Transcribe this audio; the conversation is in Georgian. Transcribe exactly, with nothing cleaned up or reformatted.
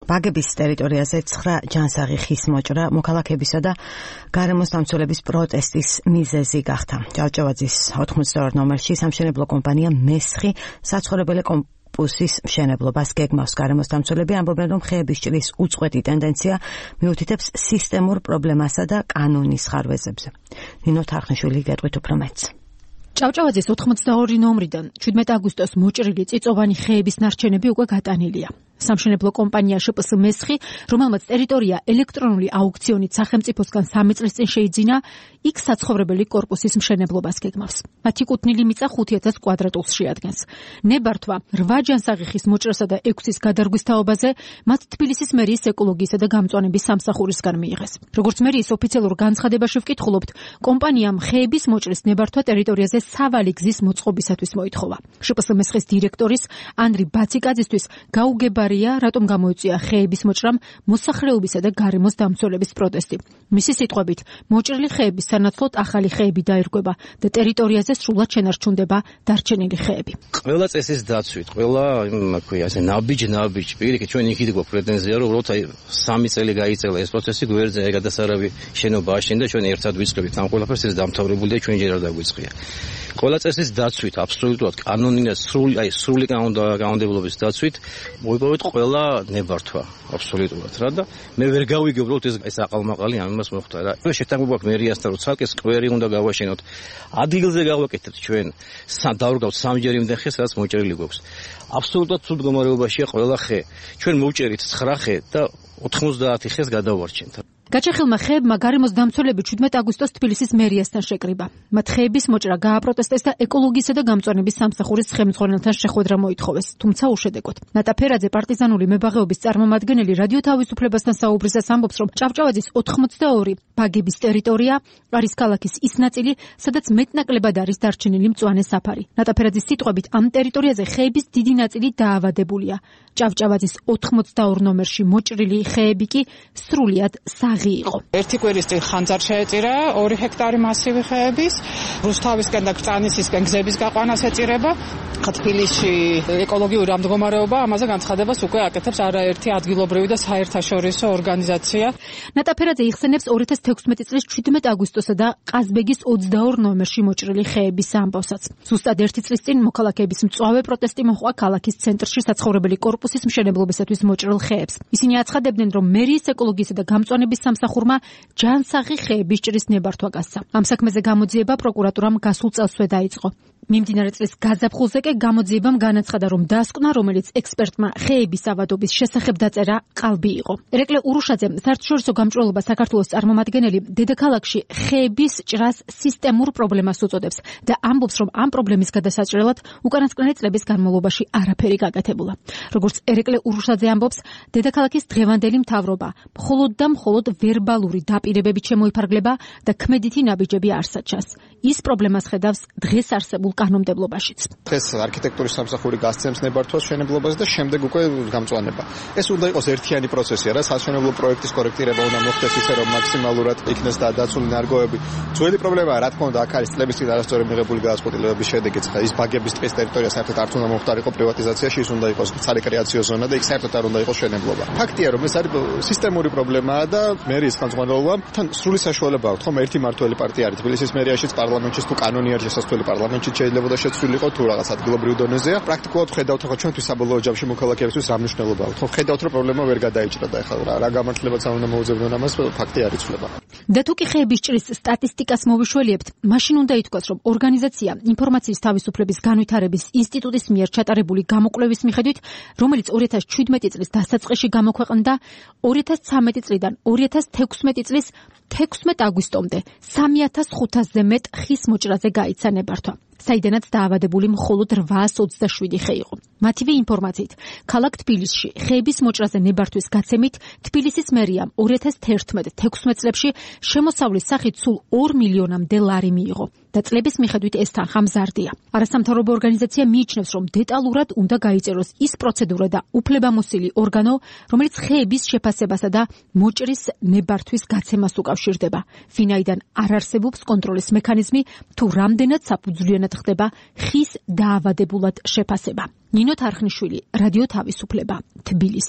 ბაგების ტერიტორიაზე ცხრა ჯანსაღი ხის მოჭრა მოქალაქეებისა და გარემოს დამცველების პროტესტის მიზეზი გახდა. ჭავჭავაძის ოთხმოცდაორი ნომერში სამშენებლო კომპანია მესხი საცხოვრებელი კომპუსის მშენებლობას გეგმავს. გარემოს დამცველები ამბობენ, რომ ხეების ჭრის უწყვეტი ტენდენცია მიუთითებს სისტემურ პრობლემასა და კანონის ხარვეზებზე. ნინო თარხნიშვილი გეტყვით უფრო მეტს. ჭავჭავაძის ოთხმოცდაორი ნომრიდან ჩვიდმეტი აგვისტოს მოჭრილი წიწოვანი ხეების ნარჩენები უკვე გატანილია. სამშენებლო კომპანია შპს მესხი, რომელმაც ტერიტორია ელექტრონული აუქციონით სახელმწიფოსგან სამი წლის წინ შეიძინა, იქ საცხოვრებელი კორპუსის მშენებლობას გეგმავს. მათი კუთვნილი მიწა ხუთი ათას კვადრატულს შეადგენს. ნებართვა რვა ჯანსაღი ხის მოჭრასა და ექვსის გადარგვის თაობაზე მათ თბილისის მერიის ეკოლოგიისა და გამწვანების სამსახურისგან მიიღეს. როგორც მერიის ოფიციალურ განცხადებაში ვკითხულობთ, კომპანიამ ხეების მოჭრის ნებართვა ტერიტორიაზე სავალი გზის მოწყობისათვის მოითხოვა. შპს მესხის დირექტორის ანდრი ბაციკაძისთვის გაუგება რატომ გამოიწვია ხეების მოჭრამ მოსახლეობისა და გარემოს დამცველების პროტესტი. მისი სიტყვებით, მოჭრილი ხეების სანაცვლოდ ახალი ხეები დაირღვება და ტერიტორიაზე სრულად შენარჩუნდება დარჩენილი ხეები. ყველა წესის დაცვით, ყველა იმაქვია, ასე ნაბიჯ-ნაბიჯ, პირიქით ჩვენ იქით გვაქვს პრეტენზია, რომ უბრალოდ აი სამი წელი გაიწელა ეს პროცესი, გვერდზე გადასარავი შენობა აშენდა, ჩვენ ერთად ვიწყებით ამ ყველაფერს, ეს დამთავრებული და ჩვენ ჯერ არ დაგვიწყია. ყველა წესის დაცვით, აბსოლუტურად კანონინად სრული, აი სრული კანონმდებლობის დაცვით მოვიპოვეთ ყველა ნებართვა, აბსოლუტურად რა და მე ვერ გავიგებ უბრალოდ ეს ეს აყალმაყალი ამას მოხდა რა. ეს შეთანხმება გვაქვს მერიასთან, რომ ცალკე სკვერი უნდა გავაშენოთ. ადგილზე გავაკეთებთ ჩვენ, დავრგავთ სამჯერ იმდენ ხეს, რაც მოჭრილი გვაქვს. აბსოლუტურად ცუდ მდგომარეობაშია ყველა ხე. ჩვენ მოვჭერით ცხრა ხე და ოთხმოცდაათი ხეს გადავარჩენთ. გაჩეხილმა ხეებმა გარემოს დამცველები ჩვიდმეტი აგვისტოს თბილისის მერიასთან შეკრიბა. მათ ხეების მოჭრა გააპროტესტეს და ეკოლოგიისა და გამწვანების სამსახურის ხელმძღვანელთან შეხვედრა მოითხოვეს, თუმცა უშედეგოდ. ნატა ფერაძე პარტიზანული მებაღეობის წარმომადგენელი რადიო თავისუფლებასთან საუბრისას ამბობს, რომ ჭავჭავაძის ოთხმოცდაორი ბაგების ტერიტორია არის ქალაქის ის ნაწილი, სადაც მეტნაკლებად არის დარჩენილი მწვანე საფარი. ნატა ფერაძის სიტყვებით, ამ ტერიტორიაზე ხეების დიდი ნაწილი დაავადებულია. ჭავჭავაძის ოთხმოცდაორი ნომერში მოჭრილი ხეები კი სრულიად საღი იყო. ერთი კვირის წინ ხანძარ შეეწირა ორი ჰექტარი მასივი ხეების, რუსთავისკენ და კრწანისისკენ გზების გაყვანას ეწირება. თბილისში ეკოლოგიური ამდგომარეობა ამაზე განცხადებას უკვე აკეთებს არაერთი ადგილობრივი და საერთაშორისო ორგანიზაცია. ნატა ფერაძე იხსენებს ორი ათას თექვსმეტი წლის ჩვიდმეტი აგვისტოსა და ყაზბეგის ოცდაორი ნომერში მოჭრილი ხეების ამბავსაც. ზუსტად ერთი წლის წინ მოქალაქეების მწვავე პროტესტი მოჰყვა ქალაქის ცენტრში საცხოვრებელი კორპუსის მშენებლობისათვის მოჭრილ ხეებს. ისინი აცხადებდნენ, რომ მერიის ეკოლოგიისა და გამწვანების სამსახურმა ჯანსაღი ხეების ჭრის ნებართვა გასცა. ამ საქმეზე გამოძიება პროკურატურამ გასულ წელსვე დაიწყო. მიმდინარე წლის გაზაფხულზე კი გამოძიებამ განაცხადა, რომ დასკვნა, რომელიც ექსპერტმა ხეების ავადობის შესახებ დაწერა, ყალბი იყო. ერეკლე ურუშაძე, საერთაშორისო გამჭვირვალობა საქართველოს წარმომადგენელი, დედაქალაქში ხეების ჭრას სისტემურ პრობლემას უწოდებს და ამბობს, რომ ამ პრობლემის გადასაჭრელად უკანასკნელი წლების განმავლობაში არაფერი გაკეთებულა. როგორც ერეკლე ურუშაძე ამბობს, დედაქალაქის დღევანდელი მთავრობა მხოლოდ და მხოლოდ ვერბალური დაპირებებით შემოიფარგლება და ქმედითი ნაბიჯები არ საჩას. ის პრობლემას ხედავს დღეს არსებულ კანონმდებლობაშიც. დღეს არქიტექტურის სამსახური გასცემს ნებართვას მშენებლობას და შემდეგ უკვე გამწვანება. ეს უნდა იყოს ერთიანი პროცესი, რა, სამშენებლო პროექტის კორექტირება უნდა მოხდეს ისე, რომ მაქსიმალურად იქნეს და დაცული ნარგავები. ძველი პრობლემაა, რა თქმა უნდა, აქ არის წლების წინ არასწორი მიღებული გადაწყვეტილებების შედეგიც. ის ბაგების ტყის ტერიტორია საერთოდ არ უნდა მოხდარიყო პრივატიზაციაში, ის უნდა იყოს სარეკრეაციო ზონა და იქ საერთოდ არ უნდა იყოს მშენებლობა. ფაქტია, რომ ეს არის სისტემური პრობლემაა და მერიის ხელმძღვანელობამ თან სრული საშუალება აქვს, ხომ ერთი მართველი პარტია არის თბილისის მერიაშიც, პარლამენტში თუ კანონი არის შესაძლებელი პარლამენტში შეიძლება და შეცვლილიყო თუ რაღაც ადგილობრივ დონეზეა. პრაქტიკულად ხედავთ, ხო ჩვენთვის საბოლოო ჯამში მოქალაქეებისთვის რა მნიშვნელობა აქვს. ხო ხედავთ, რომ პრობლემა ვერ გადაიჭრა და ეხლა რა გამართლებაც არ უნდა მოუძებნონ ამას, ფაქტი არ იცვლება. და თუ კი ხეების ჭრის სტატისტიკას მოვიშველიებთ, მაშინ უნდა ითქვას, რომ ორგანიზაცია ინფორმაციის თავისუფლების განვითარების ინსტიტუტის მიერ ჩატარებული გამოკვლევის მიხედვით, რომელიც ორი ათას შვიდმეტი წლის დასაწყისში გამოქვეყნდა, ორი ათას ცხრამეტი წლიდან ორი ათას თექვსმეტი წლის თექვსმეტ აგვისტომდე სამი ათას ხუთასზე მეტ ხის მოჭრაზე გაიცა ნებართვა. საიდანაც დაავადებული მხოლოდ რვაას ოცდაშვიდი ხე იყო. მათივე ინფორმაციით, ქალაქ თბილისში ხეების მოჭრაზე ნებართვის გაცემით თბილისის მერიამ ორი ათას თერთმეტ თექვსმეტ წლებში შემოსავლის სახით სულ ორ მილიონამდე ლარი მიიღო და წლების მიხედვით ეს თანხა მზარდია. არასამთავრობო ორგანიზაცია მიიჩნევს, რომ დეტალურად უნდა გაიწეროს ის პროცედურა და უფლებამოსილი ორგანო, რომელიც ხეების შეფასებასა და მოჭრის ნებართვის გაცემას უკავშირდება. ვინაიდან არ არსებობს კონტროლის მექანიზმი, თუ რამდენად საფუძვლიანად ხდება ხის დაავადებულად შეფასება. ნინო თარხნიშვილი, რადიო თავისუფლება, თბილისი.